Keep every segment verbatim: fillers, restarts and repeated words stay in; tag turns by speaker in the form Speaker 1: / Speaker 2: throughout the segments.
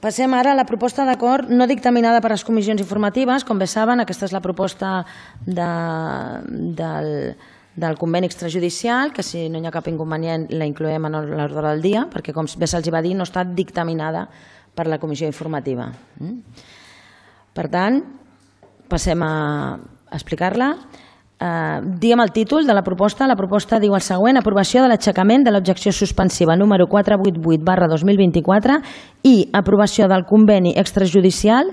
Speaker 1: Passem ara a la proposta d'acord no dictaminada per les comissions informatives. Com bé saben, aquesta és la proposta del conveni extrajudicial, que si no hi ha cap inconvenient la incloem en l'ordre del dia, perquè com bé se'ls va dir no està dictaminada per la comissió informativa. Per tant, passem a explicar-la. Diem el títol de la proposta. La proposta diu el següent: aprovació de l'aixecament de l'objecció suspensiva número quatre cents vuitanta vuit barra dos mil vint-i-quatre i aprovació del conveni extrajudicial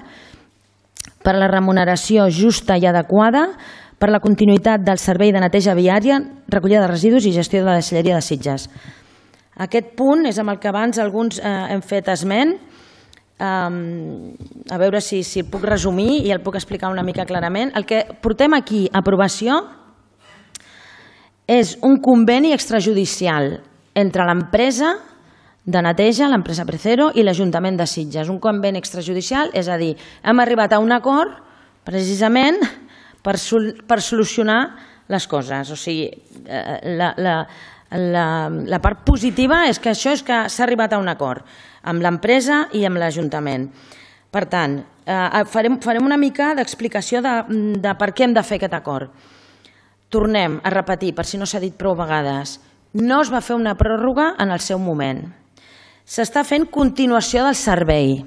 Speaker 1: per a la remuneració justa i adequada per a la continuïtat del servei de neteja viària, recollida de residus i gestió de la deixalleria de Sitges. Aquest punt és amb el que abans alguns hem fet esment. A veure si el puc resumir i el puc explicar una mica clarament. El que portem aquí a aprovació és un conveni extrajudicial entre l'empresa de neteja, l'empresa Precero, i l'Ajuntament de Sitges. Un conveni extrajudicial, és a dir, hem arribat a un acord precisament per solucionar les coses. O sigui, la part positiva és que això és que s'ha arribat a un acord amb l'empresa i amb l'Ajuntament. Per tant, farem una mica d'explicació de per què hem de fer aquest acord. Tornem a repetir, per si no s'ha dit prou vegades, no es va fer una pròrroga en el seu moment. S'està fent continuació del servei.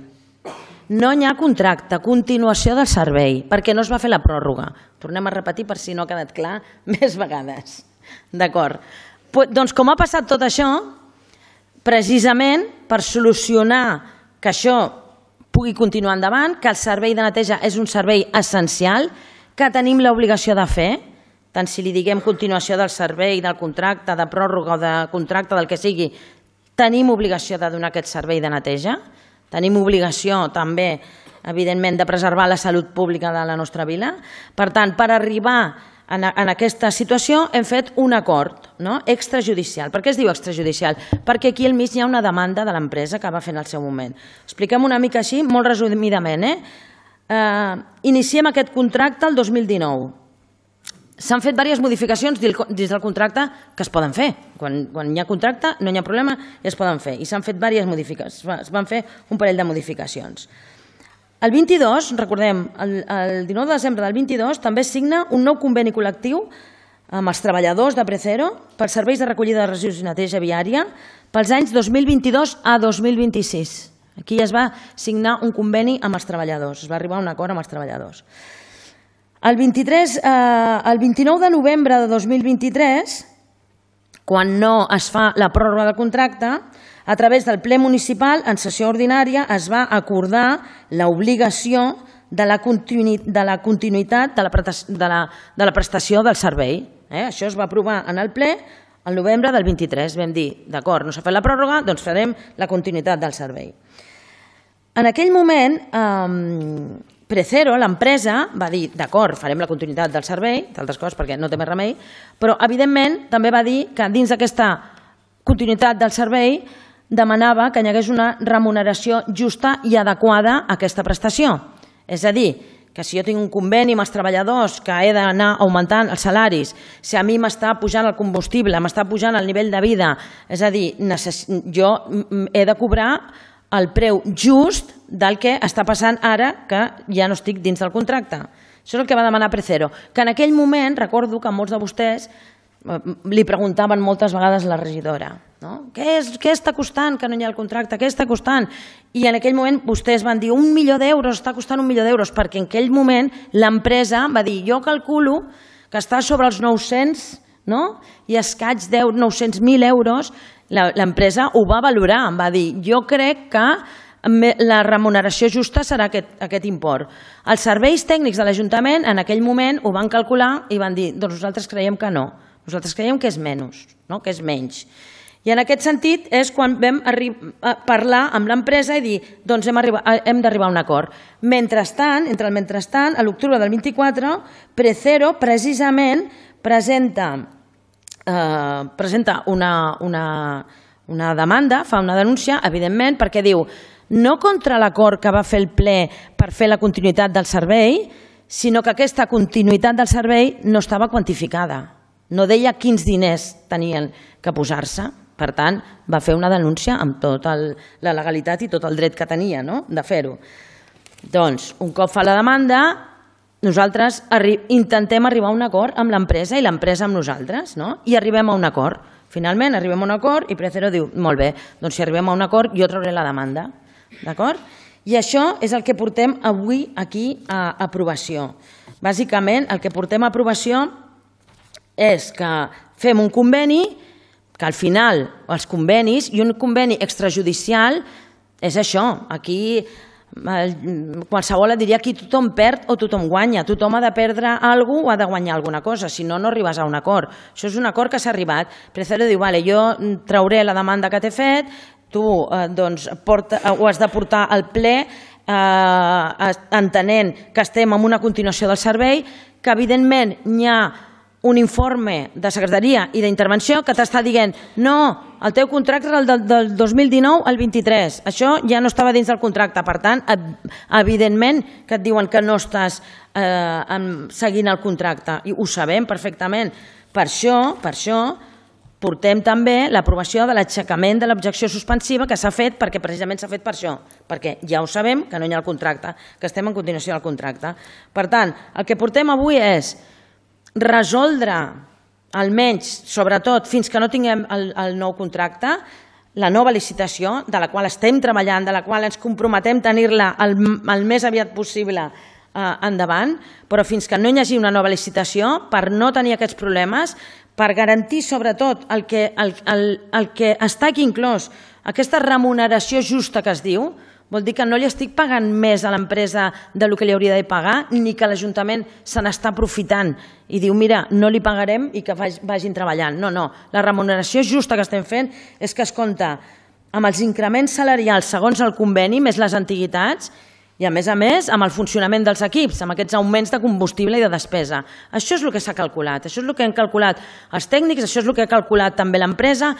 Speaker 1: No hi ha contracte, continuació del servei, perquè no es va fer la pròrroga. Tornem a repetir per si no ha quedat clar més vegades. D'acord. Doncs com ha passat tot això, precisament per solucionar que això pugui continuar endavant, que el servei de neteja és un servei essencial, que tenim l'obligació de fer, tant si li diguem continuació del servei, del contracte, de pròrroga o de contracte, del que sigui, tenim obligació de donar aquest servei de neteja, tenim obligació també, evidentment, de preservar la salut pública de la nostra vila. Per tant, per arribar en aquesta situació hem fet un acord extrajudicial. Per què es diu extrajudicial? Perquè aquí al mig hi ha una demanda de l'empresa que va fer en el seu moment. Expliquem una mica així, molt resumidament. Iniciem aquest contracte el dos mil dinou. S'han fet diverses modificacions dins del contracte que es poden fer. Quan hi ha contracte no hi ha problema i es poden fer. I s'han fet diverses modificacions. Es van fer un parell de modificacions. El vint-i-dos, recordem, el dinou de desembre del vint-i-dos també es signa un nou conveni col·lectiu amb els treballadors de Precero pels serveis de recollida de residus i neteja viària pels anys dos mil vint-i-dos a dos mil vint-i-sis. Aquí es va signar un conveni amb els treballadors, es va arribar a un acord amb els treballadors. El vint-i-nou de novembre de dos mil vint-i-tres, quan no es fa la pròrroga del contracte, a través del ple municipal, en sessió ordinària, es va acordar l'obligació de la continuïtat de la prestació del servei. Això es va aprovar en el ple el novembre del vint-i-tres. Vam dir, d'acord, no s'ha fet la pròrroga, doncs farem la continuïtat del servei. En aquell moment, Precero, l'empresa, va dir, d'acord, farem la continuïtat del servei, d'altres coses perquè no té més remei, però evidentment també va dir que dins d'aquesta continuïtat del servei demanava que hi hagués una remuneració justa i adequada a aquesta prestació. És a dir, que si jo tinc un conveni amb els treballadors que he d'anar augmentant els salaris, si a mi m'està pujant el combustible, m'està pujant el nivell de vida, és a dir, jo he de cobrar el preu just del que està passant ara que ja no estic dins del contracte. Això és el que va demanar Precero, que en aquell moment, recordo que molts de vostès li preguntaven moltes vegades a la regidora, què està costant que no hi ha el contracte, què està costant? I en aquell moment vostès van dir un milió d'euros, està costant un milió d'euros, perquè en aquell moment l'empresa va dir jo calculo que està sobre els nou-cents i escaig nou-cents mil euros, l'empresa ho va valorar, va dir jo crec que la remuneració justa serà aquest import. Els serveis tècnics de l'Ajuntament en aquell moment ho van calcular i van dir doncs nosaltres creiem que no. Nosaltres creiem que és menys, que és menys. I en aquest sentit és quan vam parlar amb l'empresa i dir doncs hem d'arribar a un acord. Mentrestant, entre el mentrestant, a l'octubre del vint-i-quatre, Precero precisament presenta una demanda, fa una denúncia, evidentment, perquè diu no contra l'acord que va fer el ple per fer la continuïtat del servei, sinó que aquesta continuïtat del servei no estava quantificada. No deia quins diners tenien que posar-se. Per tant, va fer una denúncia amb tota la legalitat i tot el dret que tenia de fer-ho. Doncs, un cop fa la demanda, nosaltres intentem arribar a un acord amb l'empresa i l'empresa amb nosaltres, i arribem a un acord. Finalment, arribem a un acord i Precero diu, molt bé, doncs si arribem a un acord jo trauré la demanda. D'acord? I això és el que portem avui aquí a aprovació. Bàsicament, el que portem a aprovació és que fem un conveni, que al final els convenis, i un conveni extrajudicial és això. Aquí qualsevol et diria que tothom perd o tothom guanya. Tothom ha de perdre alguna cosa o ha de guanyar alguna cosa, si no, no arribes a un acord. Això és un acord que s'ha arribat. Precero diu, vale, jo trauré la demanda que t'he fet, tu doncs, ho has de portar al ple entenent que estem en una continuació del servei, que evidentment hi ha un informe de secretaria i d'intervenció que t'està dient no, el teu contracte és el del dos mil dinou al vint-i-tres, això ja no estava dins del contracte, per tant, evidentment que et diuen que no estàs seguint el contracte, i ho sabem perfectament. Per això, per això, portem també l'aprovació de l'aixecament de l'objecció suspensiva que s'ha fet perquè precisament s'ha fet per això, perquè ja ho sabem que no hi ha el contracte, que estem en continuació del contracte. Per tant, el que portem avui és resoldre, almenys, sobretot, fins que no tinguem el nou contracte, la nova licitació, de la qual estem treballant, de la qual ens comprometem a tenir-la el més aviat possible endavant, però fins que no hi hagi una nova licitació, per no tenir aquests problemes, per garantir sobretot el que està aquí inclòs, aquesta remuneració justa que es diu, vol dir que no li estic pagant més a l'empresa del que li hauria de pagar, ni que l'Ajuntament se n'està aprofitant i diu, mira, no li pagarem i que vagin treballant. No, no, la remuneració justa que estem fent és que es compta amb els increments salarials segons el conveni, més les antiguitats, i a més a més amb el funcionament dels equips, amb aquests augments de combustible i de despesa. Això és el que s'ha calculat, això és el que han calculat els tècnics, això és el que ha calculat també l'empresa,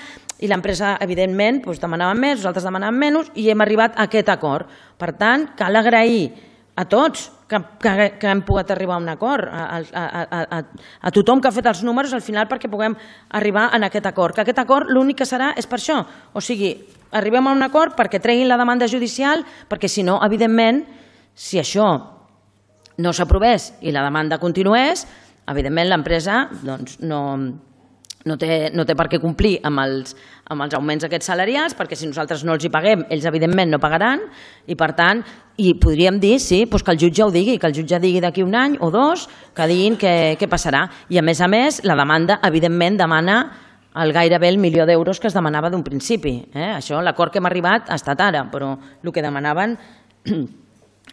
Speaker 1: i l'empresa, evidentment, demanava més, nosaltres demanàvem menys, i hem arribat a aquest acord. Per tant, cal agrair a tots que hem pogut arribar a un acord, a tothom que ha fet els números al final perquè puguem arribar a aquest acord. Que aquest acord l'únic que serà és per això, o sigui, arribem a un acord perquè treguin la demanda judicial, perquè si no, evidentment, si això no s'aprovés i la demanda continués, evidentment l'empresa no té per què complir amb els augments aquests salarials, perquè si nosaltres no els hi paguem, ells evidentment no pagaran, i per tant, i podríem dir, sí, que el jutge ho digui, que el jutge digui d'aquí un any o dos, que diguin què passarà. I a més a més, la demanda, evidentment, demana el gairebé el milió d'euros que es demanava d'un principi. Això, l'acord que hem arribat ha estat ara, però el que demanaven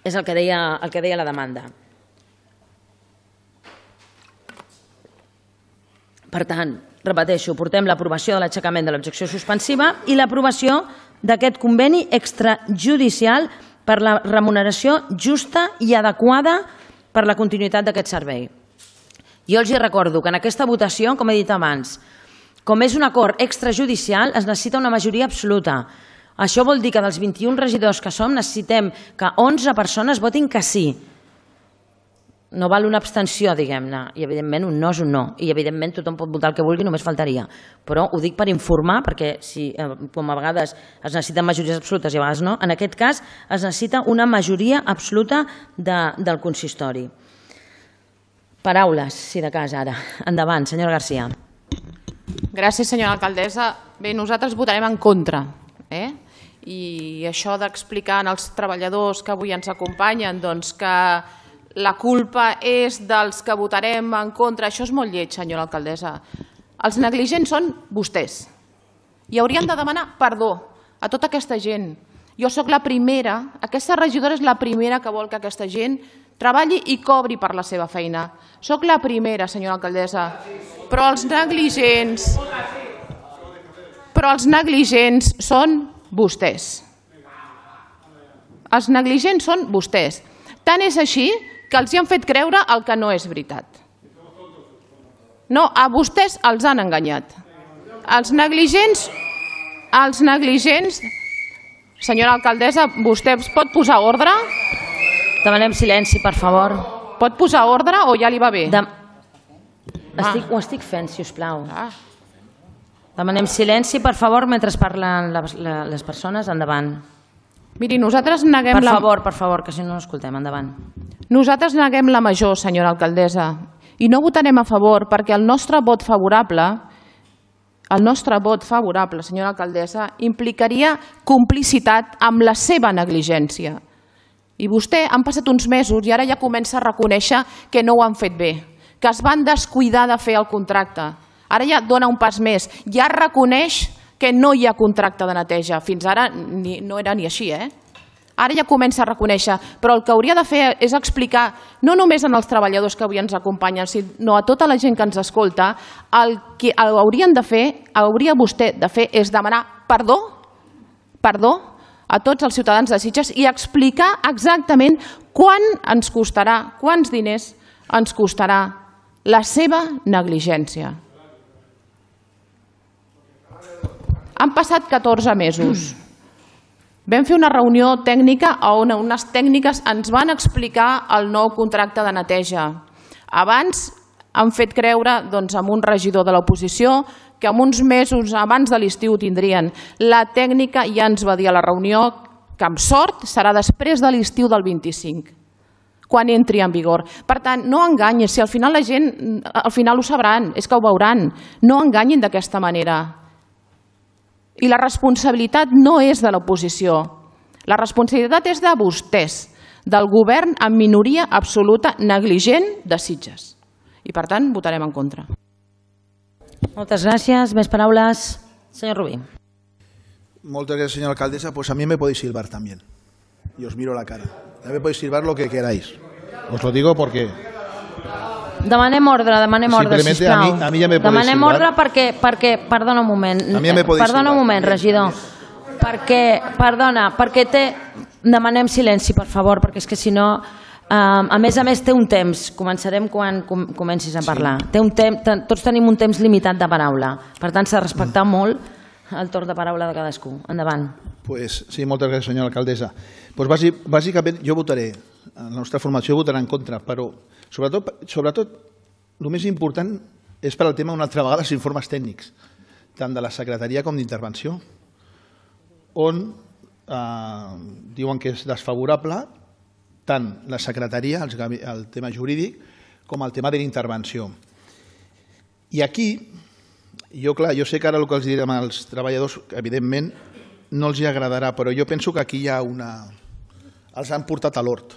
Speaker 1: és el que deia la demanda. Per tant, repeteixo, portem l'aprovació de l'aixecament de l'objecció suspensiva i l'aprovació d'aquest conveni extrajudicial per la remuneració justa i adequada per la continuïtat d'aquest servei. Jo els recordo que en aquesta votació, com he dit abans, com és un acord extrajudicial, es necessita una majoria absoluta. Això vol dir que dels vint-i-un regidors que som necessitem que onze persones votin que sí. No val una abstenció, diguem-ne, i evidentment un no és un no, i evidentment tothom pot votar el que vulgui, només faltaria. Però ho dic per informar, perquè com a vegades es necessiten majories absolutes i a vegades no, en aquest cas es necessita una majoria absoluta del consistori. Paraules, si de cas, ara. Endavant, senyora García.
Speaker 2: Gràcies, senyora alcaldessa. Bé, nosaltres votarem en contra. I això d'explicar als treballadors que avui ens acompanyen que la culpa és dels que votarem en contra, això és molt lleig, senyora alcaldessa. Els negligents són vostès. I haurien de demanar perdó a tota aquesta gent. Jo sóc la primera, aquesta regidora és la primera que vol que aquesta gent treballi i cobri per la seva feina. Sóc la primera, senyora alcaldessa. Però els negligents... Però els negligents són vostès. Els negligents són vostès. Tant és així que els hi han fet creure el que no és veritat. No, a vostès els han enganyat. Els negligents... Els negligents... Senyora alcaldessa, vostè pot posar ordre?
Speaker 1: Demanem silenci, per favor.
Speaker 2: Pot posar ordre o ja li va bé?
Speaker 1: Ho estic fent, si us plau. Demanem silenci, per favor, mentre parlen les persones. Endavant.
Speaker 2: Miri, nosaltres neguem...
Speaker 1: Per favor, per favor, que si no no escoltem. Endavant.
Speaker 2: Nosaltres neguem la major, senyora alcaldessa, i no votarem a favor perquè el nostre vot favorable, el nostre vot favorable, senyora alcaldessa, implicaria complicitat amb la seva negligència. I vostè, han passat uns mesos i ara ja comença a reconèixer que no ho han fet bé, que es van descuidar de fer el contracte. Ara ja dona un pas més, ja reconeix que no hi ha contracte de neteja. Fins ara no era ni així, eh? Ara ja comença a reconèixer, però el que hauria de fer és explicar, no només als treballadors que avui ens acompanyen, sinó a tota la gent que ens escolta, el que haurien de fer, hauria vostè de fer és demanar perdó, perdó a tots els ciutadans de Sitges i explicar exactament quant ens costarà, quants diners ens costarà la seva negligència. Han passat catorze mesos. Vam fer una reunió tècnica on unes tècniques ens van explicar el nou contracte de neteja. Abans han fet creure doncs, a un regidor de l'oposició que en uns mesos abans de l'estiu tindrien. La tècnica ja ens va dir a la reunió que amb sort serà després de l'estiu del vint-i-cinc, quan entri en vigor. Per tant, no enganyin, si al final la gent al final ho sabran, és que ho veuran. No enganyin d'aquesta manera. I la responsabilitat no és de l'oposició, la responsabilitat és de vostès, del govern en minoria absoluta negligent de Sitges. I per tant, votarem en contra.
Speaker 1: Moltes gràcies. Més paraules. Senyor Rubí.
Speaker 3: Muchas gracias, señora alcaldesa. Pues a mí me podéis silbar también. Y os miro la cara. A mí me podéis silbar lo que queráis. Os lo digo porque...
Speaker 1: Demanem ordre, demanem ordre, sisplau.
Speaker 3: A mi, a mi ja me
Speaker 1: demanem
Speaker 3: silbar.
Speaker 1: ordre perquè, perquè, perdona un moment,
Speaker 3: a mi ja me
Speaker 1: perdona
Speaker 3: silbar.
Speaker 1: un moment, regidor, perquè, perdona, perquè té, demanem silenci, per favor, perquè és que si no, eh, a més a més té un temps, començarem quan com, comencis a parlar, sí. té un temps, tots tenim un temps limitat de paraula, per tant s'ha de respectar mm. molt el torn de paraula de cadascú. Endavant.
Speaker 3: Pues sí, moltes gràcies, senyora alcaldessa. Pues bàsicament jo votaré, la nostra formació votarà en contra, però sobretot, sobretot el més important és per al tema una altra vegada els informes tècnics, tant de la secretaria com d'intervenció, on eh, diuen que és desfavorable tant la secretaria, el, el tema jurídic, com el tema de l'intervenció. I aquí, jo, clar, jo sé que ara el que els direm als treballadors, evidentment, no els hi agradarà, però jo penso que aquí hi ha una... els han portat a l'hort.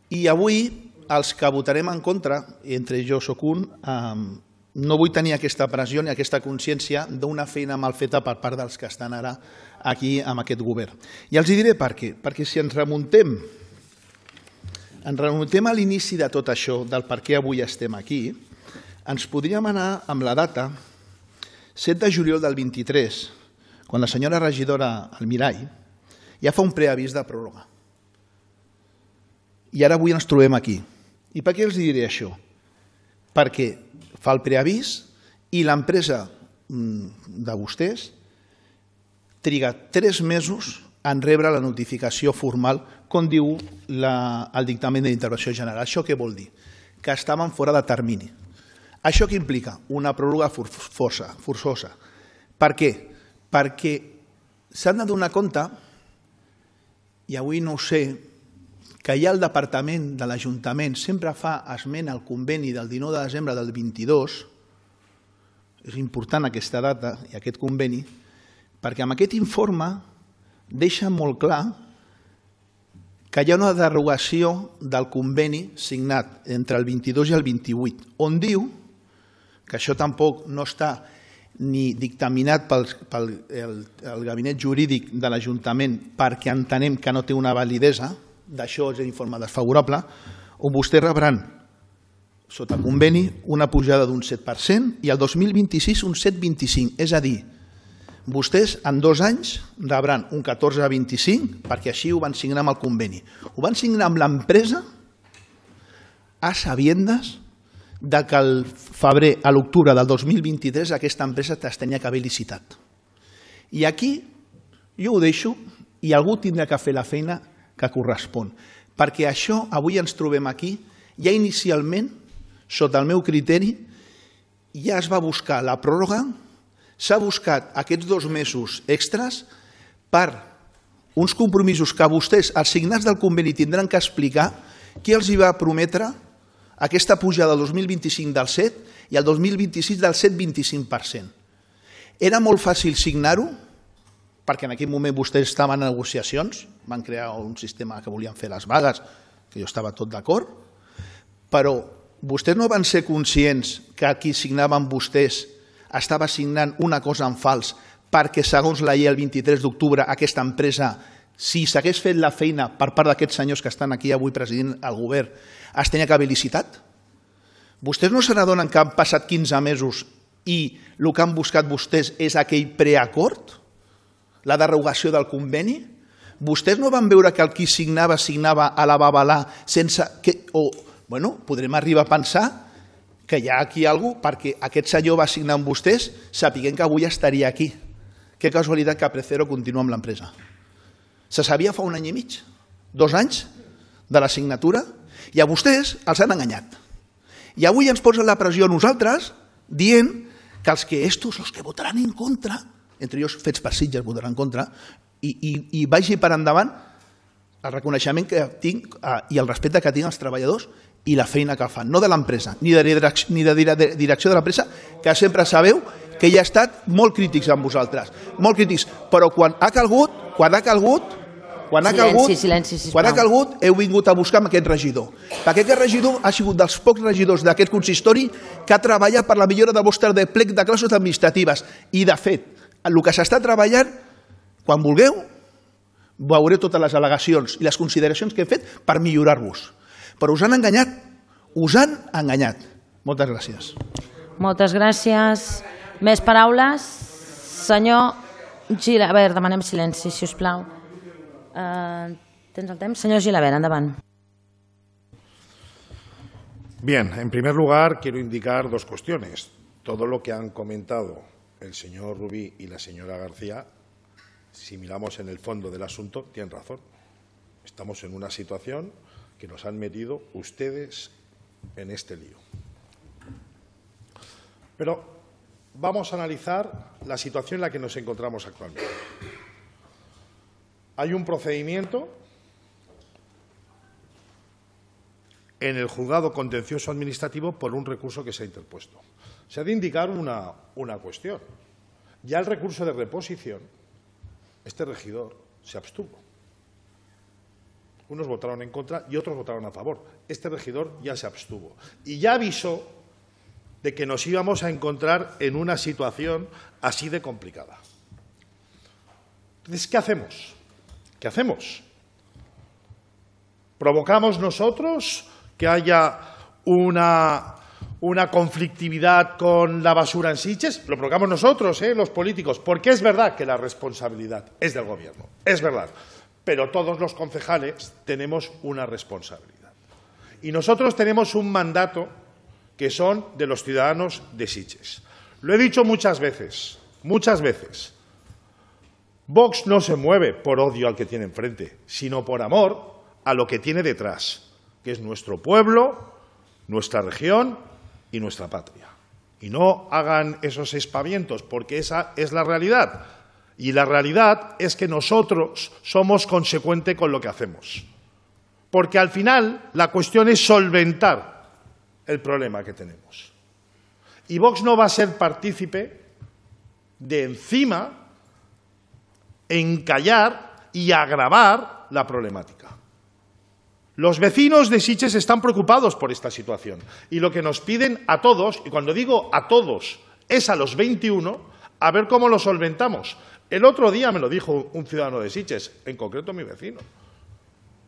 Speaker 3: I avui, els que votarem en contra, entre jo soc un, no vull tenir aquesta pressió ni aquesta consciència d'una feina mal feta per part dels que estan ara aquí amb aquest govern. I els diré per què. Perquè si ens remuntem, ens remuntem a l'inici de tot això, del per què avui estem aquí, ens podríem anar amb la data set de juliol del vint-i-tres, quan la senyora regidora Almirall ja fa un preavís de pròrroga. I ara avui ens trobem aquí. I per què els diré això? Perquè fa el preavís i l'empresa de vostès triga tres mesos en rebre la notificació formal, com diu el dictamen de l'intervenció general. Això què vol dir? Que estaven fora de termini. Això què implica? Una pròrroga forçosa. Per què? Perquè s'han de donar compte, i avui no ho sé, que ja el departament de l'Ajuntament sempre fa esment al conveni del dinou de desembre del vint-i-dos, és important aquesta data i aquest conveni, perquè amb aquest informe deixa molt clar que hi ha una derogació del conveni signat entre el vint-i-dos i el vint-i-vuit, on diu que això tampoc no està ni dictaminat pel gabinet jurídic de l'Ajuntament perquè entenem que no té una validesa, d'això és l'informe desfavorable, on vostès rebran, sota conveni, una pujada d'un set per cent i el dos mil vint-i-sis un set coma vint-i-cinc. És a dir, vostès en dos anys rebran un catorze coma vint-i-cinc perquè així ho van signar amb el conveni. Ho van signar amb l'empresa a sabiendes que al febrer, a l'octubre del dos mil vint-i-tres aquesta empresa es tenia que haver licitat. I aquí jo ho deixo i algú tindrà que fer la feina que correspon. Perquè això, avui ens trobem aquí, ja inicialment, sota el meu criteri, ja es va buscar la pròrroga s'ha buscat aquests dos mesos extras per uns compromisos que vostès, els signats del conveni, tindran que explicar qui els hi va prometre aquesta pujada del dos mil vint-i-cinc del set i el dos mil vint-i-sis del set coma vint-i-cinc per cent. Era molt fàcil signar-ho, perquè en aquell moment vostès estaven en negociacions, van crear un sistema que volien fer les vagues, que jo estava tot d'acord, però vostès no van ser conscients que qui signaven vostès estava signant una cosa en fals perquè, segons la llei, el vint-i-tres d'octubre, aquesta empresa, si s'hagués fet la feina per part d'aquests senyors que estan aquí avui presidint el govern, es tenia que haver licitat? Vostès no se n'adonen que han passat quinze mesos i el que han buscat vostès és aquell preacord, la derogació del conveni? Vostès no van veure que el qui signava, signava a la babalà sense que... O, bueno, podrem arribar a pensar que hi ha aquí alguna cosa perquè aquest senyor va signar amb vostès sapiguent que avui estaria aquí. Que casualitat que Precero continua amb l'empresa. Se sabia fa un any i mig, dos anys de la signatura, i a vostès els han enganyat. I avui ens posen la pressió a nosaltres dient que els que estos, els que votaran en contra, entre ells fets per Sitges votaran en contra, i, i, i vagi per endavant el reconeixement que tinc eh, i el respecte que tinc als treballadors i la feina que fan, no de l'empresa, ni de, direcció, ni de direcció de l'empresa, que sempre sabeu que ja ha estat molt crítics amb vosaltres, molt crítics, però quan ha calgut, quan ha calgut, quan ha calgut,
Speaker 1: silenci, silenci,
Speaker 3: quan ha calgut, heu vingut a buscar amb aquest regidor. Perquè aquest regidor ha sigut dels pocs regidors d'aquest consistori que ha treballat per la millora del vostre de plec de classes administratives. I, de fet, el que s'està treballant, quan vulgueu, veureu totes les al·legacions i les consideracions que he fet per millorar-vos. Però us han enganyat, us han enganyat. Moltes gràcies.
Speaker 1: Moltes gràcies. Més paraules? Senyor Gilabert, a veure, demanem silenci, si us plau. Uh, tens el temps? Senyor Gilabert, endavant.
Speaker 4: Bien, en primer lugar quiero indicar dos cuestiones. Todo lo que han comentado el señor Rubí y la señora García, si miramos en el fondo del asunto, tienen razón. Estamos en una situación que nos han metido ustedes en este lío. Pero vamos a analizar la situación en la que nos encontramos actualmente. Hay un procedimiento en el juzgado contencioso administrativo por un recurso que se ha interpuesto. Se ha de indicar una, una cuestión. Ya el recurso de reposición, este regidor se abstuvo. Unos votaron en contra y otros votaron a favor. Este regidor ya se abstuvo. Y ya avisó de que nos íbamos a encontrar en una situación así de complicada. Entonces, ¿qué hacemos? ¿Qué hacemos? ¿Provocamos nosotros que haya una, una conflictividad con la basura en Sitges? Lo provocamos nosotros, ¿eh? Los políticos, porque es verdad que la responsabilidad es del Gobierno, es verdad, pero todos los concejales tenemos una responsabilidad. Y nosotros tenemos un mandato que son de los ciudadanos de Sitges. Lo he dicho muchas veces, muchas veces. Vox no se mueve por odio al que tiene enfrente, sino por amor a lo que tiene detrás, que es nuestro pueblo, nuestra región y nuestra patria. Y no hagan esos espavientos, porque esa es la realidad. Y la realidad es que nosotros somos consecuentes con lo que hacemos. Porque al final la cuestión es solventar el problema que tenemos. Y Vox no va a ser partícipe de encima encallar y agravar la problemática. Los vecinos de Sitges están preocupados por esta situación y lo que nos piden a todos, y cuando digo a todos, es a los veintiuno, a ver cómo lo solventamos. El otro día me lo dijo un ciudadano de Sitges, en concreto mi vecino,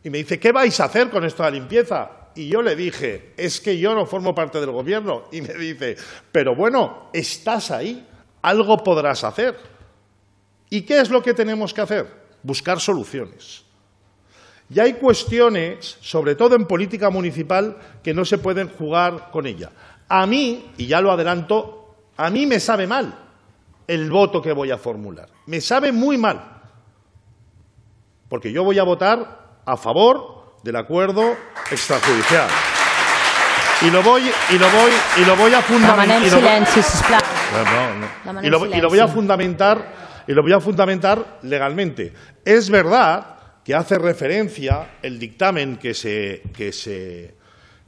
Speaker 4: y me dice, ¿qué vais a hacer con esto de la limpieza? Y yo le dije, es que yo no formo parte del Gobierno. Y me dice, pero bueno, estás ahí, algo podrás hacer. ¿Y qué es lo que tenemos que hacer? Buscar soluciones. Y hay cuestiones, sobre todo en política municipal, que no se pueden jugar con ella. A mí, y ya lo adelanto, a mí me sabe mal el voto que voy a formular. Me sabe muy mal. Porque yo voy a votar a favor del acuerdo extrajudicial. Y lo voy, y lo voy, y lo voy a fundamentar.
Speaker 1: Demanem silenci, sisplau.
Speaker 4: No, no. Y, lo, y lo voy a fundamentar, y lo voy a fundamentar legalmente. Es verdad que hace referencia el dictamen que se, que se,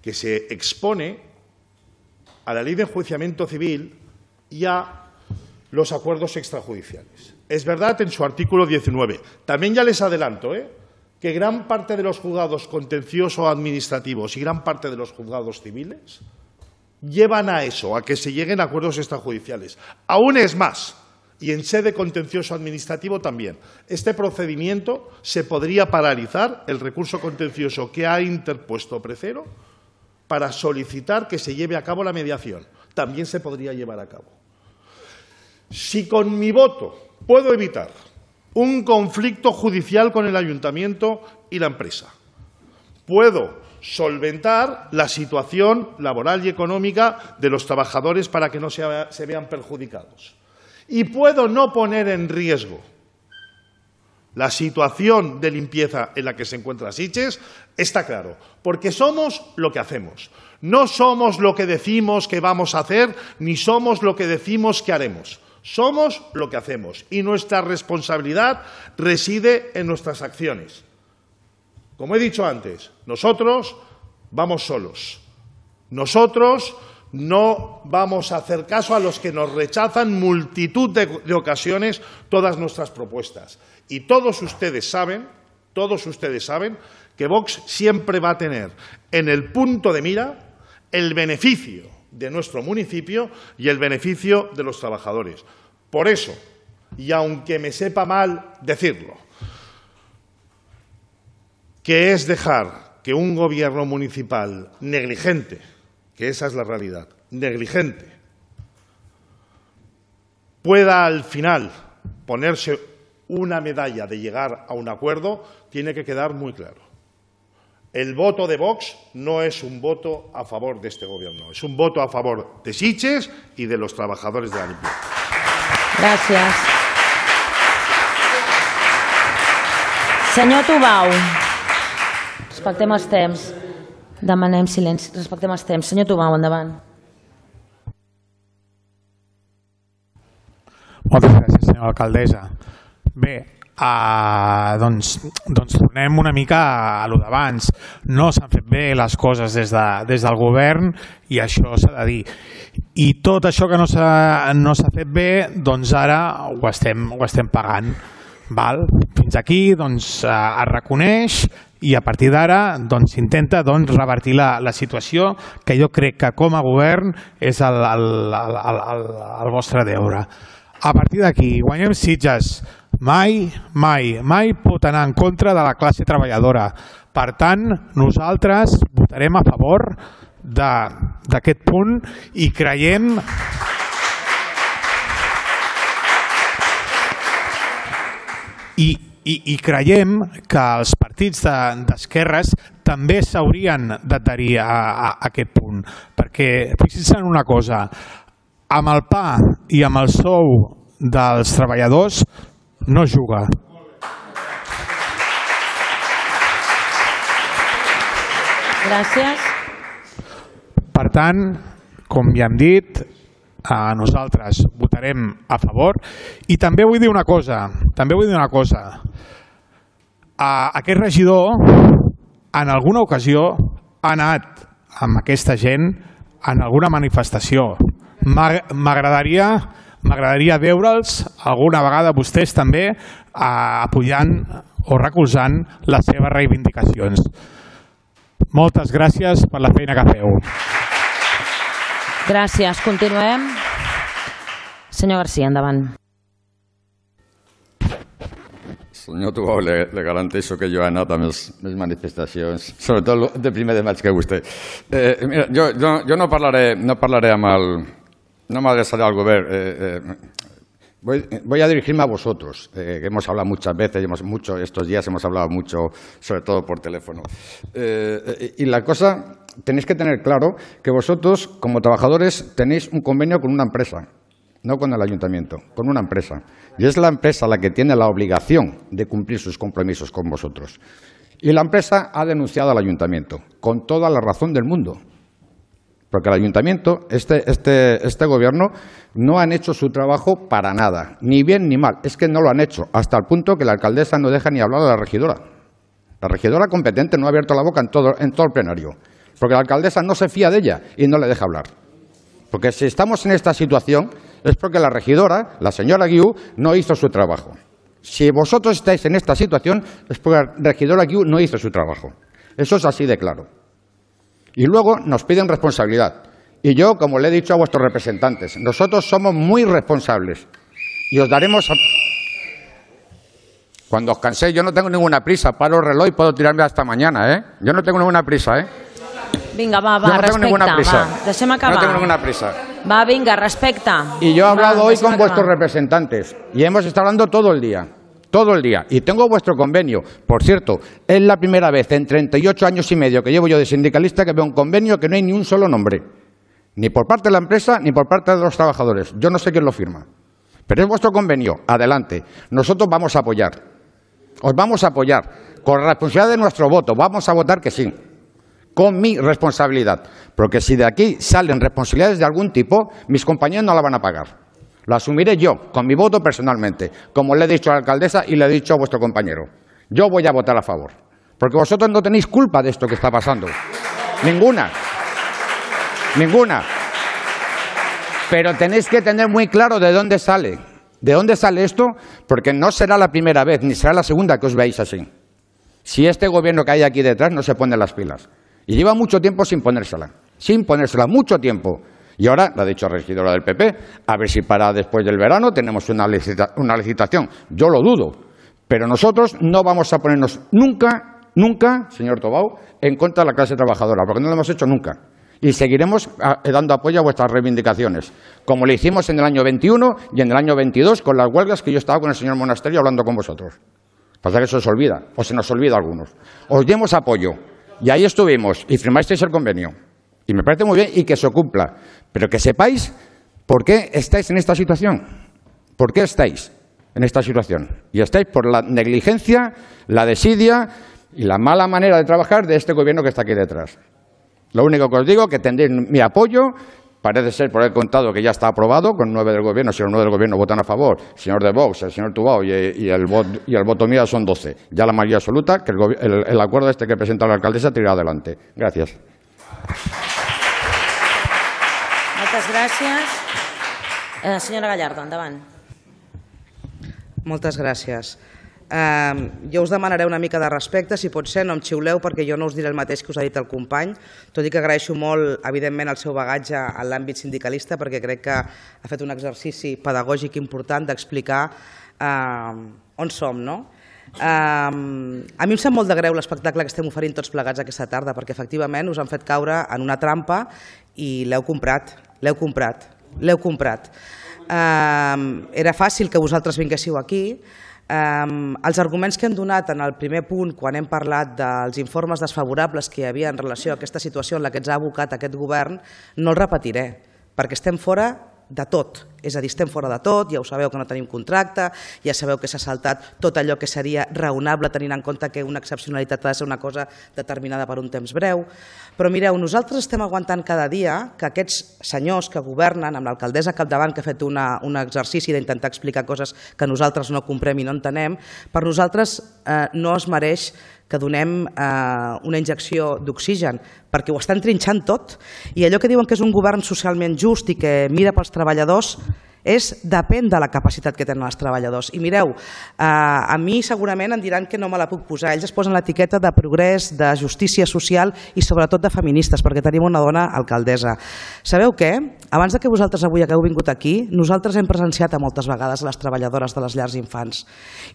Speaker 4: que se expone a la Ley de Enjuiciamiento Civil y a los acuerdos extrajudiciales. Es verdad en su artículo diecinueve. También ya les adelanto, ¿eh? que gran parte de los juzgados contenciosos administrativos y gran parte de los juzgados civiles llevan a eso, a que se lleguen a acuerdos extrajudiciales. Aún es más, y en sede contencioso administrativo también. Este procedimiento se podría paralizar, el recurso contencioso que ha interpuesto Precero, para solicitar que se lleve a cabo la mediación. También se podría llevar a cabo. Si con mi voto puedo evitar un conflicto judicial con el ayuntamiento y la empresa, puedo solventar la situación laboral y económica de los trabajadores para que no se, se vean perjudicados. Y puedo no poner en riesgo la situación de limpieza en la que se encuentra Sitges, está claro, porque somos lo que hacemos. No somos lo que decimos que vamos a hacer, ni somos lo que decimos que haremos. Somos lo que hacemos y nuestra responsabilidad reside en nuestras acciones. Como he dicho antes, nosotros vamos solos. Nosotros no vamos a hacer caso a los que nos rechazan multitud de, de ocasiones todas nuestras propuestas. Y todos ustedes saben, todos ustedes saben que Vox siempre va a tener en el punto de mira el beneficio de nuestro municipio y el beneficio de los trabajadores. Por eso, y aunque me sepa mal decirlo, que es dejar que un gobierno municipal negligente, que esa es la realidad, negligente, pueda al final ponerse una medalla de llegar a un acuerdo, tiene que quedar muy claro. El voto de Vox no es un voto a favor de este gobierno, es un voto a favor de Sitges y de los trabajadores de la limpieza.
Speaker 1: Gràcies. Senyor Tubau, respectem els temps. Demanem silenci, respectem els temps. Senyor Tubau, endavant.
Speaker 5: Moltes gràcies, senyora alcaldessa. Bé, Uh, doncs, doncs tornem una mica a lo d'abans. No s'han fet bé les coses des, de, des del govern i això s'ha de dir. I tot això que no s'ha no s'ha fet bé, doncs ara ho estem, ho estem pagant. Val? Fins aquí doncs, uh, es reconeix i a partir d'ara doncs, s'intenta doncs, revertir la, la situació que jo crec que com a govern és el, el, el, el, el, el vostre deure. A partir d'aquí, guanyem Sitges. Mai, mai, mai pot anar en contra de la classe treballadora. Per tant, nosaltres votarem a favor d'aquest punt i creiem i, i, i creiem que els partits d'esquerres també s'haurien d'adherir a, a, a aquest punt. Perquè, fixin-se en una cosa, amb el pa i amb el sou dels treballadors no juga.
Speaker 1: Gràcies.
Speaker 5: Per tant, com ja hem dit, nosaltres votarem a favor i també vull dir una cosa, també vull dir una cosa. Aquest regidor en alguna ocasió ha anat amb aquesta gent en alguna manifestació. M'agradaria M'agradaria veure'ls alguna vegada vostès també apoyant o recolzant les seves reivindicacions. Moltes gràcies per la feina que feu.
Speaker 1: Gràcies. Continuem. Senyor García, endavant.
Speaker 6: Senyor Tubau, le, le garanteixo que jo he anat a més, més manifestacions, sobretot de primer de maig que vostè. Eh, mira, jo, jo, jo no parlaré, no parlaré amb el... No me adresaré al gobierno. Eh, eh, voy, voy a dirigirme a vosotros, eh, que hemos hablado muchas veces, hemos, mucho, estos días hemos hablado mucho, sobre todo por teléfono. Eh, y la cosa, tenéis que tener claro que vosotros, como trabajadores, tenéis un convenio con una empresa, no con el ayuntamiento, con una empresa. Y es la empresa la que tiene la obligación de cumplir sus compromisos con vosotros. Y la empresa ha denunciado al ayuntamiento, con toda la razón del mundo. Porque el ayuntamiento, este, este, este gobierno, no han hecho su trabajo para nada, ni bien ni mal. Es que no lo han hecho, hasta el punto que la alcaldesa no deja ni hablar a la regidora. La regidora competente no ha abierto la boca en todo, en todo el plenario, porque la alcaldesa no se fía de ella y no le deja hablar. Porque si estamos en esta situación es porque la regidora, la señora Guiú, no hizo su trabajo. Si vosotros estáis en esta situación es porque la regidora Guiú no hizo su trabajo. Eso es así de claro. Y luego nos piden responsabilidad. Y yo, como le he dicho a vuestros representantes, nosotros somos muy responsables y os daremos... A... Cuando os canséis, yo no tengo ninguna prisa, paro el reloj y puedo tirarme hasta mañana, ¿eh? Yo no tengo ninguna prisa, ¿eh?
Speaker 1: Vinga, va, va,
Speaker 6: no
Speaker 1: respecte,
Speaker 6: prisa.
Speaker 1: va, deixem acabar.
Speaker 6: No tengo ninguna prisa.
Speaker 1: Va, vinga, respecta.
Speaker 6: Y yo he hablado
Speaker 1: va,
Speaker 6: hoy con
Speaker 1: acabar.
Speaker 6: vuestros representantes y hemos estado hablando todo el día, todo el día. Y tengo vuestro convenio. Por cierto, es la primera vez en treinta y ocho años y medio que llevo yo de sindicalista que veo un convenio que no hay ni un solo nombre. Ni por parte de la empresa ni por parte de los trabajadores. Yo no sé quién lo firma. Pero es vuestro convenio. Adelante. Nosotros vamos a apoyar. Os vamos a apoyar. Con la responsabilidad de nuestro voto. Vamos a votar que sí. Con mi responsabilidad. Porque si de aquí salen responsabilidades de algún tipo, mis compañeros no la van a pagar. La asumiré yo, con mi voto personalmente, como le he dicho a la alcaldesa y le he dicho a vuestro compañero. Yo voy a votar a favor. Porque vosotros no tenéis culpa de esto que está pasando. Ninguna. Ninguna. Pero tenéis que tener muy claro de dónde sale. ¿De dónde sale esto? Porque no será la primera vez, ni será la segunda que os veáis así. Si este gobierno que hay aquí detrás no se pone las pilas. Y lleva mucho tiempo sin ponérsela. Sin ponérsela, mucho tiempo. Y ahora, la ha dicho la regidora del P P, a ver si para después del verano tenemos una, licita- una licitación. Yo lo dudo. Pero nosotros no vamos a ponernos nunca, nunca, señor Tobau, en contra de la clase trabajadora, porque no lo hemos hecho nunca. Y seguiremos a, dando apoyo a vuestras reivindicaciones, como le hicimos en el año veintiuno y en el año veintidós con las huelgas que yo estaba con el señor Monasterio hablando con vosotros. Pasa que eso se os olvida, o se nos olvida a algunos. Os dimos apoyo, y ahí estuvimos, y firmasteis el convenio. Y me parece muy bien y que se cumpla. Pero que sepáis por qué estáis en esta situación. ¿Por qué estáis en esta situación? Y estáis por la negligencia, la desidia y la mala manera de trabajar de este gobierno que está aquí detrás. Lo único que os digo es que tendréis mi apoyo. Parece ser, por el contado, que ya está aprobado, con nueve del gobierno. Si los nueve del gobierno votan a favor, el señor de Vox, el señor Tubao y, y, el, vot, y el voto mío son doce. Ya la mayoría absoluta, que el, el, el acuerdo este que presenta la alcaldesa tirará adelante. Gracias.
Speaker 1: Moltes gràcies. Eh, senyora Gallardo, endavant.
Speaker 7: Moltes gràcies. Uh, jo us demanaré una mica de respecte, si pot ser, no em xiuleu perquè jo no us diré el mateix que us ha dit el company, tot i que agraeixo molt, evidentment, el seu bagatge en l'àmbit sindicalista perquè crec que ha fet un exercici pedagògic important d'explicar uh, on som, no? Uh, a mi em sap molt de greu l'espectacle que estem oferint tots plegats aquesta tarda perquè efectivament us han fet caure en una trampa i l'heu comprat, l'heu comprat, l'heu comprat. Uh, era fàcil que vosaltres vinguéssiu aquí. Um, els arguments que hem donat en el primer punt quan hem parlat dels informes desfavorables que hi havia en relació a aquesta situació en la que ens ha abocat aquest govern no els repetiré, perquè estem fora de tot. És a dir, estem fora de tot, ja ho sabeu que no tenim contracte, ja sabeu que s'ha saltat tot allò que seria raonable tenint en compte que una excepcionalitat ha de ser una cosa determinada per un temps breu. Però mireu, nosaltres estem aguantant cada dia que aquests senyors que governen, amb l'alcaldessa al capdavant que ha fet una, un exercici d'intentar explicar coses que nosaltres no comprem i no entenem, per nosaltres eh, no es mereix que donem eh, una injecció d'oxigen, perquè ho estan trinxant tot. I allò que diuen que és un govern socialment just i que mira pels treballadors és depèn de la capacitat que tenen els treballadors. I mireu, eh, a mi segurament em diran que no me la puc posar. Ells es posen l'etiqueta de progrés, de justícia social i sobretot de feministes, perquè tenim una dona alcaldessa. Sabeu què? Abans de que vosaltres avui hagueu vingut aquí, nosaltres hem presenciat a moltes vegades a les treballadores de les llars d'infants.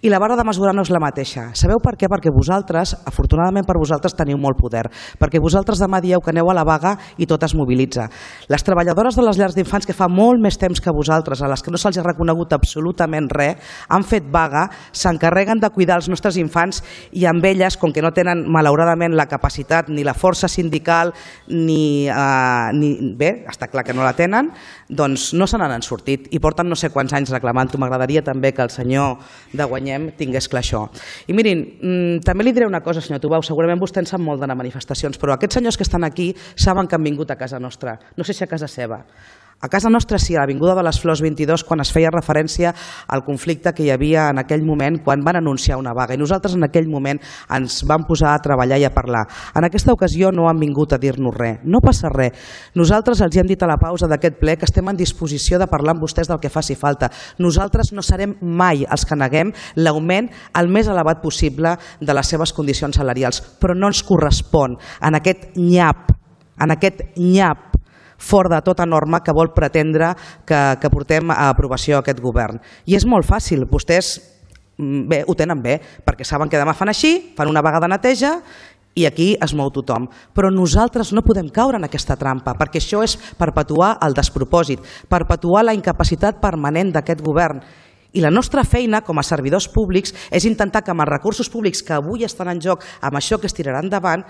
Speaker 7: I la vara de mesurar no és la mateixa. Sabeu per què? Perquè vosaltres, afortunadament per vosaltres, teniu molt poder. Perquè vosaltres demà dieu que aneu a la vaga i tot es mobilitza. Les treballadores de les llars d'infants, que fa molt més temps que vosaltres nosaltres, a les que no se'ls ha reconegut absolutament res, han fet vaga, s'encarreguen de cuidar els nostres infants i amb elles, com que no tenen malauradament la capacitat ni la força sindical ni, eh, ni bé, està clar que no la tenen, doncs no se n'han sortit i porten no sé quants anys reclamant-ho. M'agradaria també que el senyor de Guanyem tingués clar això. I mirin, també li diré una cosa, senyor Tubau, segurament vostè en sap molt d'anar a manifestacions, però aquests senyors que estan aquí saben que han vingut a casa nostra, no sé si a casa seva. A casa nostra sí, a l'Avinguda de les Flors vint-i-dos, quan es feia referència al conflicte que hi havia en aquell moment quan van anunciar una vaga. I nosaltres en aquell moment ens vam posar a treballar i a parlar. En aquesta ocasió no han vingut a dir-nos res. No passa res. Nosaltres els hem dit a la pausa d'aquest ple que estem en disposició de parlar amb vostès del que faci falta. Nosaltres no serem mai els que neguem l'augment el més elevat possible de les seves condicions salarials, però no ens correspon en aquest nyap, en aquest nyap fora de tota norma que vol pretendre que, que portem a aprovació aquest govern. I és molt fàcil, vostès bé, ho tenen bé, perquè saben que demà fan així, fan una vaga de neteja i aquí es mou tothom. Però nosaltres no podem caure en aquesta trampa, perquè això és perpetuar el despropòsit, perpetuar la incapacitat permanent d'aquest govern. I la nostra feina com a servidors públics és intentar que amb els recursos públics que avui estan en joc, amb això que es tirarà endavant,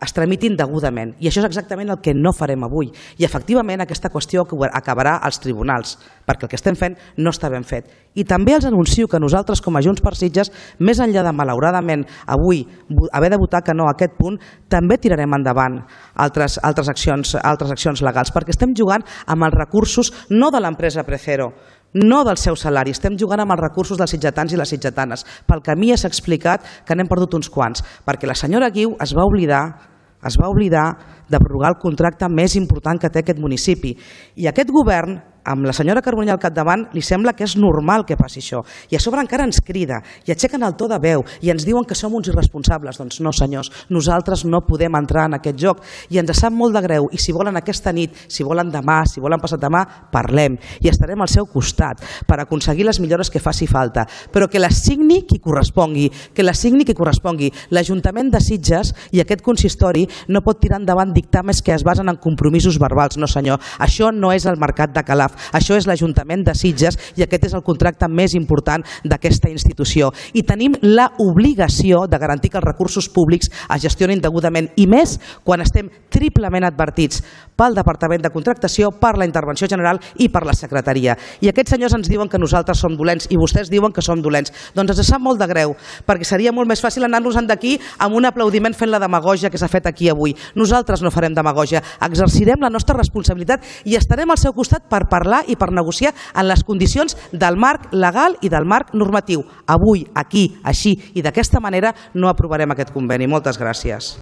Speaker 7: es tramitin degudament. I això és exactament el que no farem avui. I efectivament aquesta qüestió acabarà als tribunals, perquè el que estem fent no està ben fet. I també els anuncio que nosaltres com a Junts per Sitges, més enllà de malauradament avui haver de votar que no a aquest punt, també tirarem endavant altres, altres, accions, altres accions legals, perquè estem jugant amb els recursos no de l'empresa Precero, no del seu salari, estem jugant amb els recursos dels sitgetans i les sitgetanes. Pel camí s'ha explicat que n'hem perdut uns quants, perquè la senyora Guiu es va oblidar es va oblidar de prorrogar el contracte més important que té aquest municipi. I aquest govern, amb la senyora Carbonell al capdavant, li sembla que és normal que passi això. I a sobre encara ens crida i aixequen el to de veu i ens diuen que som uns irresponsables. Doncs no, senyors, nosaltres no podem entrar en aquest joc i ens sap molt de greu. I si volen aquesta nit, si volen demà, si volen passat demà, parlem i estarem al seu costat per aconseguir les millores que faci falta. Però que les signi qui correspongui, que les signi qui correspongui. L'Ajuntament de Sitges i aquest consistori no pot tirar endavant dictàmens que es basen en compromisos verbals. No, senyor, això no és el mercat de Calaf. Això és l'Ajuntament de Sitges i aquest és el contracte més important d'aquesta institució. I tenim l'obligació de garantir que els recursos públics es gestionin degudament i més quan estem triplement advertits pel Departament de Contractació, per la Intervenció General i per la Secretaria. I aquests senyors ens diuen que nosaltres som dolents i vostès diuen que som dolents. Doncs ens sap molt de greu, perquè seria molt més fàcil anar-nos-en d'aquí amb un aplaudiment fent la demagògia que s'ha fet aquí avui. Nosaltres no farem demagògia, exercirem la nostra responsabilitat i estarem al seu costat per parlar i per negociar en les condicions del marc legal i del marc normatiu. Avui, aquí, així i d'aquesta manera no aprovarem aquest conveni. Moltes gràcies.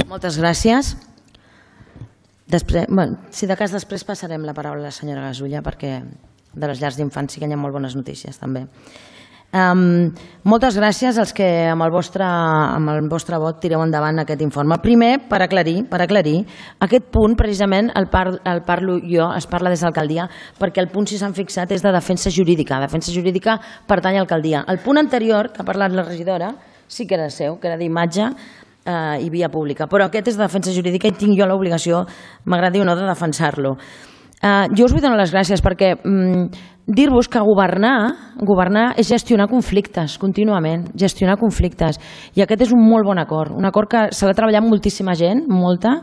Speaker 1: Moltes gràcies. Després, bueno, si de cas després passarem la paraula a la senyora Gasulla perquè de les llars d'infants sí que hi ha molt bones notícies també. Um, moltes gràcies als que amb el, vostre, amb el vostre vot tireu endavant aquest informe. Primer, per aclarir, per aclarir aquest punt precisament el, par, el parlo jo, es parla des de l'alcaldia, perquè el punt si s'han fixat és de defensa jurídica. Defensa jurídica pertany a l'alcaldia. El punt anterior, que ha parlat la regidora, sí que era seu, que era d'imatge eh, i via pública, però aquest és de defensa jurídica i tinc jo l'obligació, m'agradi o no, de defensar-lo. Uh, jo us vull donar les gràcies perquè um, dir-vos que governar, governar és gestionar conflictes contínuament, gestionar conflictes. I aquest és un molt bon acord, un acord que s'ha de treballar amb moltíssima gent, molta,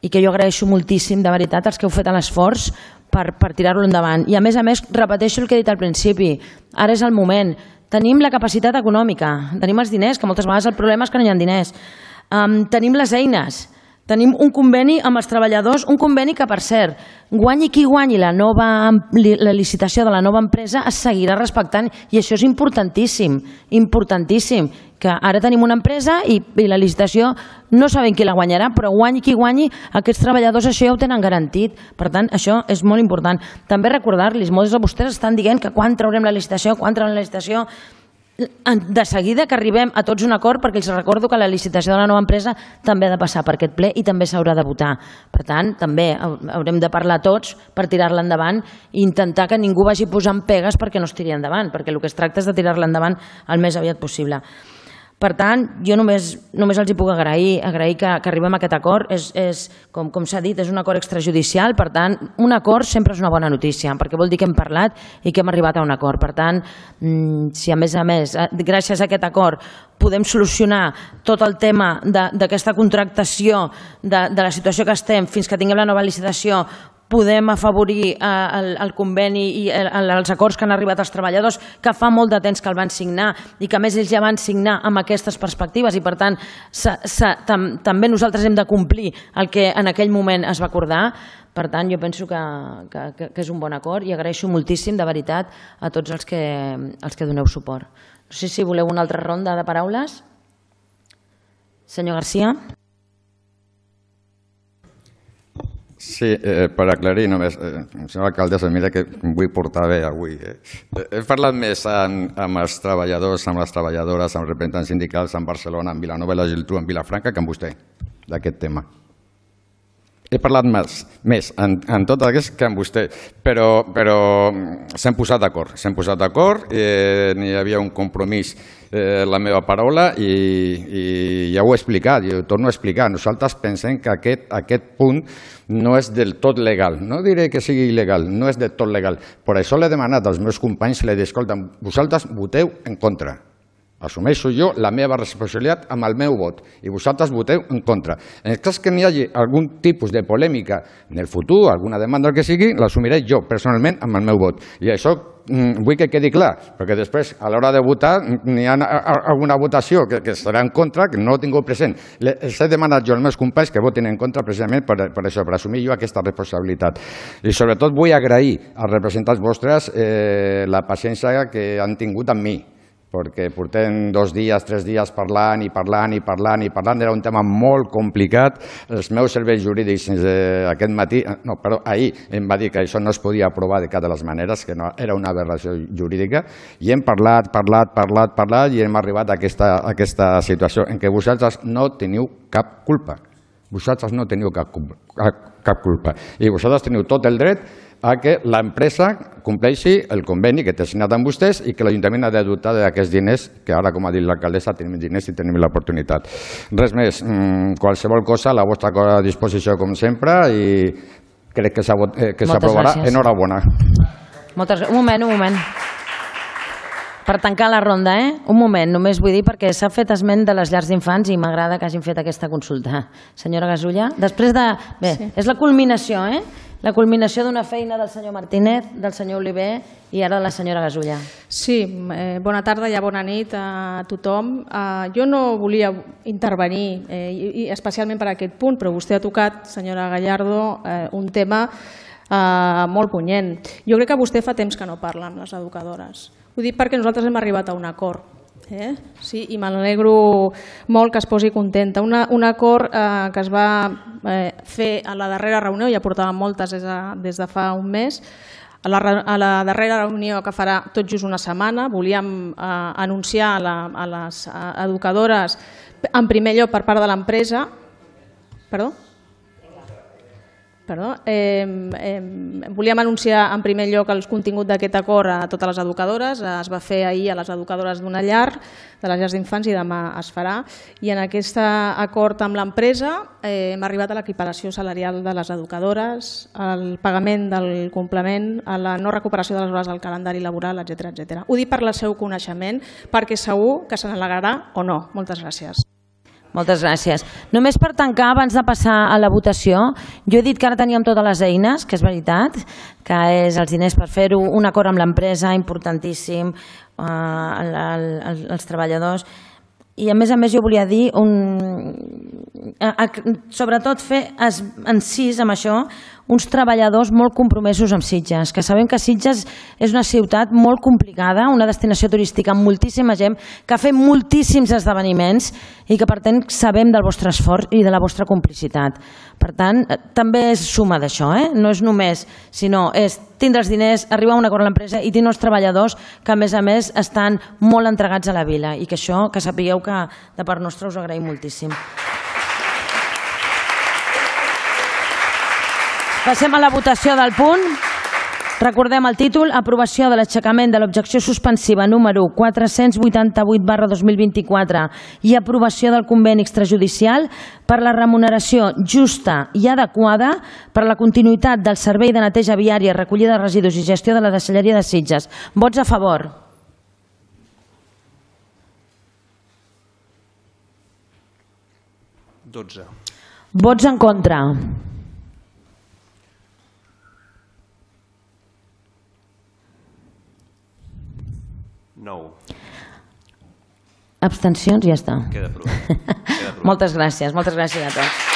Speaker 1: i que jo agraeixo moltíssim, de veritat, els que heu fet l'esforç per, per tirar-lo endavant. I a més a més, repeteixo el que he dit al principi, ara és el moment, tenim la capacitat econòmica, tenim els diners, que moltes vegades el problema és que no hi ha diners, um, tenim les eines, tenim un conveni amb els treballadors, un conveni que, per cert, guanyi qui guanyi la, nova, la licitació de la nova empresa es seguirà respectant i això és importantíssim, importantíssim, que ara tenim una empresa i, i la licitació no sabem qui la guanyarà, però guanyi qui guanyi, aquests treballadors això ja ho tenen garantit. Per tant, això és molt important. També recordar-los, molts de vostès estan dient que quan traurem la licitació, quan traurem la licitació... De seguida que arribem a tots un acord, perquè els recordo que la licitació de la nova empresa també ha de passar per aquest ple i també s'haurà de votar. Per tant, també haurem de parlar tots per tirar-la endavant i intentar que ningú vagi posant pegues perquè no es tiri endavant, perquè el que es tracta és de tirar-la endavant el més aviat possible. Per tant, jo només, només els hi puc agrair, agrair que, que arribem a aquest acord. És, és, com, com s'ha dit, és un acord extrajudicial, per tant, un acord sempre és una bona notícia, perquè vol dir que hem parlat i que hem arribat a un acord. Per tant, si a més a més, gràcies a aquest acord, podem solucionar tot el tema d'aquesta contractació, de, de la situació que estem, fins que tinguem la nova licitació, podem afavorir el, el conveni i el, els acords que han arribat als treballadors, que fa molt de temps que el van signar i que a més ells ja van signar amb aquestes perspectives i per tant sa, sa, tam, també nosaltres hem de complir el que en aquell moment es va acordar. Per tant, jo penso que, que, que és un bon acord i agraeixo moltíssim, de veritat, a tots els que, els que doneu suport. No sé si voleu una altra ronda de paraules. Senyor García.
Speaker 6: Sí, eh, per aclarir només, eh, senyora alcaldessa, mira que vull portar bé avui. Eh. He parlat més amb, amb els treballadors, amb les treballadores, amb representants sindicals, amb Barcelona, amb Vilanova i la Geltrú, amb Vilafranca, que amb vostè, d'aquest tema. He parlat més, més en, en tot aquest que amb vostè, però, però s'hem posat d'acord, s'hem posat d'acord, eh, n'hi havia un compromís, eh, la meva paraula, i, i ja ho he explicat, i ho torno a explicar. Nosaltres pensem que aquest, aquest punt no és del tot legal, no diré que sigui il·legal, no és del tot legal. Per això l'he demanat als meus companys, l'he dit, escolta, vosaltres voteu en contra. Assumeixo jo la meva responsabilitat amb el meu vot i vosaltres voteu en contra. En el cas que n'hi hagi algun tipus de polèmica en el futur, alguna demanda, el que sigui, l'assumiré jo personalment amb el meu vot. I això vull que quedi clar, perquè després a l'hora de votar n'hi ha alguna votació que, que serà en contra, que no ho tinc present. Els he demanat jo als meus companys que votin en contra precisament per, per això, per assumir jo aquesta responsabilitat. I sobretot vull agrair als representants vostres eh, la paciència que han tingut amb mi, perquè portem dos dies, tres dies parlant i parlant i parlant i parlant. Era un tema molt complicat. Els meus serveis jurídics eh, aquest matí, no, perdó, ahir em va dir que això no es podia aprovar de cap de les maneres, que no, era una aberració jurídica, i hem parlat, parlat, parlat, parlat, i hem arribat a aquesta, a aquesta situació en què vosaltres no teniu cap culpa. Vosaltres no teniu cap, cap culpa. I vosaltres teniu tot el dret a que l'empresa compleixi el conveni que té signat amb vostès i que l'Ajuntament ha de dotar d'aquests diners, que ara, com ha dit l'alcaldessa, tenim diners i tenim l'oportunitat. Res més, qualsevol cosa a la vostra disposició, com sempre, i crec que s'aprovarà. Enhorabona.
Speaker 1: Moltes gràcies. Un moment, un moment. Per tancar la ronda, eh? Un moment, només vull dir perquè s'ha fet esment de les llars d'infants i m'agrada que hagin fet aquesta consulta. Senyora Gasulla, després de... Bé, sí. És la culminació, eh? La culminació d'una feina del senyor Martínez, del senyor Oliver i ara de la senyora Gasulla.
Speaker 8: Sí, eh, bona tarda i bona nit a tothom. Eh, jo no volia intervenir, eh, i especialment per aquest punt, però vostè ha tocat, senyora Gallardo, eh, un tema eh, molt punyent. Jo crec que vostè fa temps que no parla amb les educadores. Ho dic perquè nosaltres hem arribat a un acord. Eh? Sí, i m'alegro molt que es posi contenta. Una, un acord eh, que es va eh, fer a la darrera reunió, ja portàvem moltes des de, des de fa un mes, a la, a la darrera reunió que farà tot just una setmana, volíem eh, anunciar a, la, a les educadores en primer lloc per part de l'empresa. Perdó? Perdó, eh, eh, volíem anunciar en primer lloc el contingut d'aquest acord a totes les educadores. Es va fer ahir a les educadores d'una llar, de les llars d'infants, i demà es farà. I en aquest acord amb l'empresa eh, hem arribat a l'equiparació salarial de les educadores, al pagament del complement, a la no recuperació de les hores del calendari laboral, etcètera, etcètera. Ho dic per el seu coneixement, perquè segur que se n'alegrarà o no. Moltes gràcies.
Speaker 1: Moltes gràcies. Només per tancar, abans de passar a la votació, jo he dit que ara teníem totes les eines, que és veritat, que és els diners per fer-ho, un acord amb l'empresa, importantíssim, eh, el, el, els treballadors, i a més a més jo volia dir, un, a, a, sobretot fer encís amb això, uns treballadors molt compromesos amb Sitges, que sabem que Sitges és una ciutat molt complicada, una destinació turística amb moltíssima gent, que ha fet moltíssims esdeveniments i que per tant sabem del vostre esforç i de la vostra complicitat. Per tant, també és suma d'això, eh? No és només, sinó és tindre els diners, arribar a un acord amb l'empresa i tenir els treballadors que a més a més estan molt entregats a la vila i que això, que sapigueu que de part nostra us ho agraïm moltíssim. Passem a la votació del punt. Recordem el títol: aprovació de l'aixecament de l'objecció suspensiva número quatre-cents vuitanta-vuit barra dos mil vint-i-quatre i aprovació del conveni extrajudicial per la remuneració justa i adequada per a la continuïtat del servei de neteja viària, recollida de residus i gestió de la deixalleria de Sitges. Vots a favor.
Speaker 9: dotze.
Speaker 1: Vots en contra.
Speaker 9: nou.
Speaker 1: Abstencions, ja està.
Speaker 9: Queda aprovat. Queda aprovat.
Speaker 1: Moltes gràcies, moltes gràcies a tots.